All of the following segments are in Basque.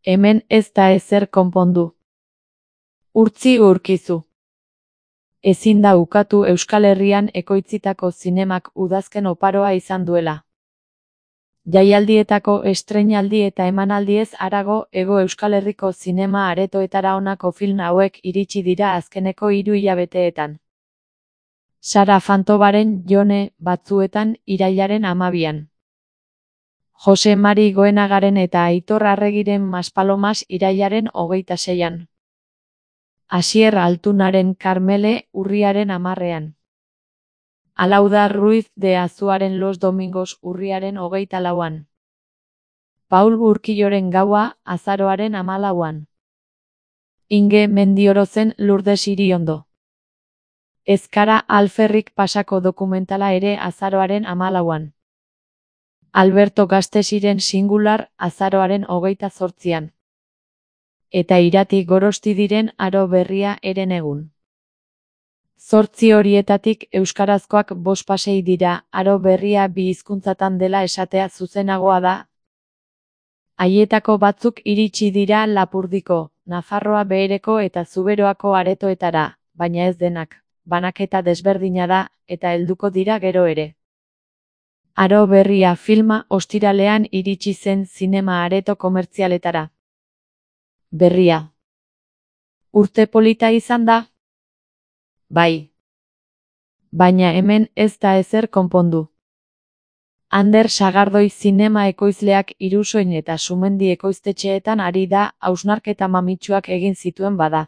Hemen ez da ezer konpondu. Urtzi urkizu. Ezin da ukatu Euskal Herrian ekoitzitako zinemak udazken oparoa izan duela. Jaialdietako estreinaldi eta emanaldiez harago Hego Euskal Herriko zinema aretoetara honako film hauek iritsi dira azkeneko 3 hilabeteetan. Sara Fantobaren Jone batzuetan irailaren 12an. Jose Mari Goenagaren eta Aitor Arregiren Maspalomas irailaren 26an. Asier Altunaren Karmele urriaren 10ean. Alauda Ruiz de Azuaren Los Domingos urriaren 24an. Paul Urquilloren Gaua azaroaren 14an. Inge Mendiorozen Lourdes Iriondo. Ezkara Alferrik Pasako dokumentala ere azaroaren 14an. Alberto Gastesiren Singular azaroaren 28an. Eta Irati Gorostidiren Aro Berria herenegun. 8 horietatik euskarazkoak 5 pasei dira, Aro Berria 2 hizkuntzatan dela esatea zuzenagoa da. Haietako batzuk iritsi dira Lapurdiko, Nafarroa Behereko eta Zuberoako aretoetara, baina ez denak, banaketa desberdina da, eta helduko dira gero ere. Aro Berria filma ostiralean iritsi zen zinema areto komertzialetara. Berria. Urte polita izan da? Bai. Baina hemen ez da ezer konpondu. Ander Sagardoi zinema ekoizleak Irusoin eta Sumendi ekoiztetxeetan ari da hausnarketa mamitsuak egin zituen bada.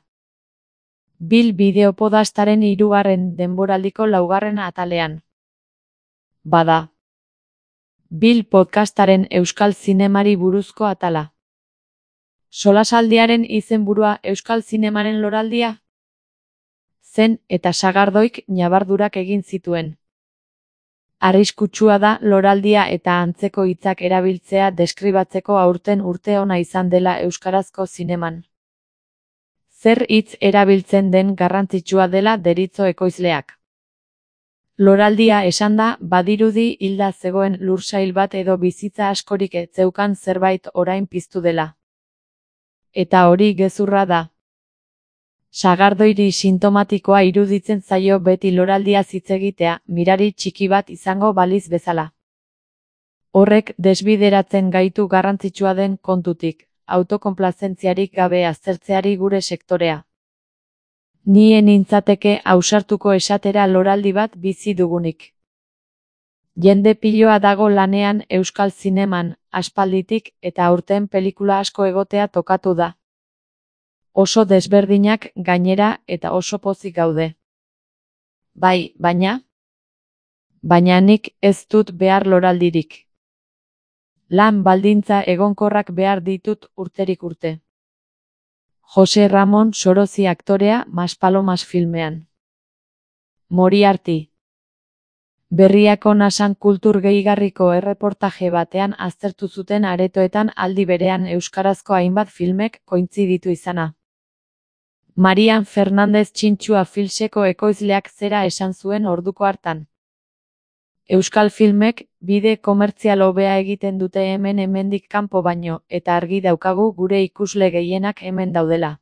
Bil bideopodastaren 3. denboraldiko 4. atalean. Bada. Bil podcastaren euskal zinemari buruzko atala. Solasaldiaren izenburua euskal zinemaren loraldia? Zen eta Sagardoik ñabardurak egin zituen. Arriskutsua da loraldia eta antzeko hitzak erabiltzea deskribatzeko aurten urte ona izan dela euskarazko zineman. Zer hitz erabiltzen den garrantzitsua dela deritzo ekoizleak. Loraldia esanda badirudi hilda zegoen lursail bat edo bizitza askorik ez zeukan zerbait orain piztu dela. Eta hori gezurra da. Sagardoiri sintomatikoa iruditzen zaio beti loraldia hitz egitea, mirari txiki bat izango baliz bezala. Horrek desbideratzen gaitu garrantzitsua den kontutik, autokonplazentziarik gabe aztertzeari gure sektorea. Ni nintzateke ausartuko esatera loraldi bat bizi dugunik. Jende piloa dago lanean euskal zineman, aspalditik eta aurten pelikula asko egotea tokatu da. Oso desberdinak gainera eta oso pozik gaude. Bai, baina? Baina nik ez dut behar loraldirik. Lan baldintza egonkorrak behar ditut urterik urte. Jose Ramon Sorozi aktorea Maspalomas filmean. Moriarty. Berriako Nasan kultur gehigarriko erreportaje batean aztertu zuten aretoetan aldi berean euskarazko hainbat filmek kointziditu izana. Marian Fernandez Txintxua Filseko ekoizleak zera esan zuen orduko hartan. Euskal filmek bide komertzial hobea egiten dute hemendik kanpo baino, eta argi daukagu gure ikusle gehienak hemen daudela.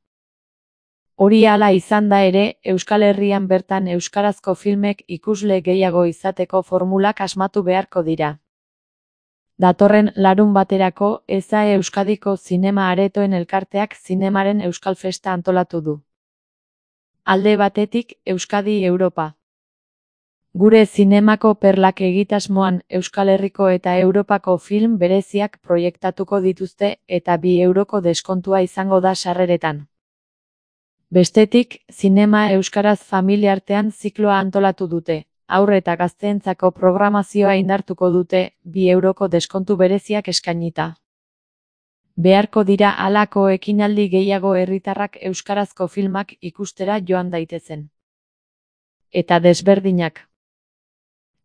Hori hala izan da ere, Euskal Herrian bertan euskarazko filmek ikusle gehiago izateko formulak asmatu beharko dira. Datorren larunbaterako EZA Euskadiko Zinema Aretoen Elkarteak zinemaren Euskal Festa antolatu du. Alde batetik, Euskadi Europa. Gure zinemako perlak egitasmoan Euskal Herriko eta Europako film bereziak proiektatuko dituzte eta 2 euroko deskontua izango da sarreretan. Bestetik, zinema euskaraz familiartean zikloa antolatu dute, haur eta gazteentzako programazioa indartuko dute, 2 euroko deskontu bereziak eskainita. Beharko dira halako ekinaldi gehiago herritarrak euskarazko filmak ikustera joan daitezen. Eta desberdinak.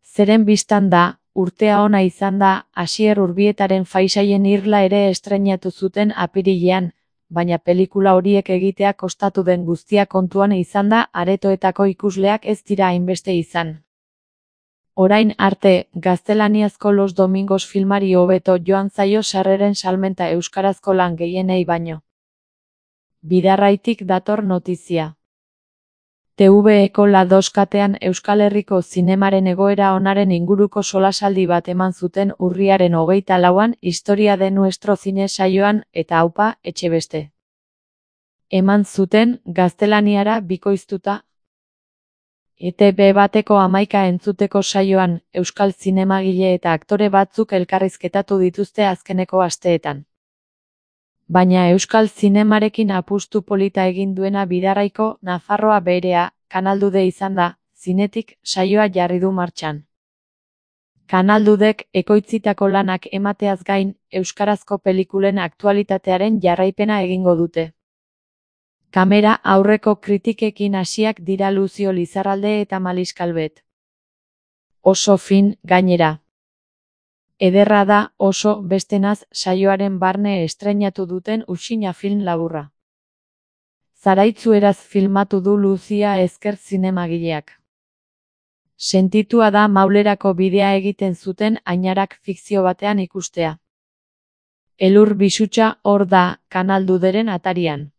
Zeren bistan da, urtea ona izan da, Asier Urbietaren Faisaien Irla ere estreinatu zuten apirilean, baina pelikula horiek egitea kostatu den guztia kontuan izan da aretoetako ikusleak ez dira hainbeste izan. Orain arte, gaztelaniazko Los Domingos filmari hobeto joan zaio sarreren salmenta euskarazko lan gehienei baino. Bidarraitik dator notizia. TVEko La 2 katean Euskal Herriko zinemaren egoera onaren inguruko solasaldi bat eman zuten urriaren 24an Historia de nuestro cine saioan eta aupa, etxebeste. Eman zuten, gaztelaniara bikoiztuta. ETB bateko 11 entzuteko saioan, euskal zinemagile eta aktore batzuk elkarrizketatu dituzte azkeneko asteetan. Baina euskal zinemarekin apustu polita egin duena Bidarraiko Nafarroa Beherea, Kanaldude izan da, zinetik saioa jarri du martxan. Kanaldudek ekoitzitako lanak emateaz gain, euskarazko pelikulen aktualitatearen jarraipena egingo dute. Kamera aurreko kritikekin hasiak dira Luzio Lizarralde eta Malis Calvet. Oso fin, gainera. Ederra da, oso, bestenaz, saioaren barne estreinatu duten Uxina film laburra. Zaraitzueraz filmatu du Luzia Ezker zinemagileak. Sentitua da Maulerako bidea egiten zuten Ainarak fikzio batean ikustea. Elur Bisutxa hor da, Kanalduderen atarian.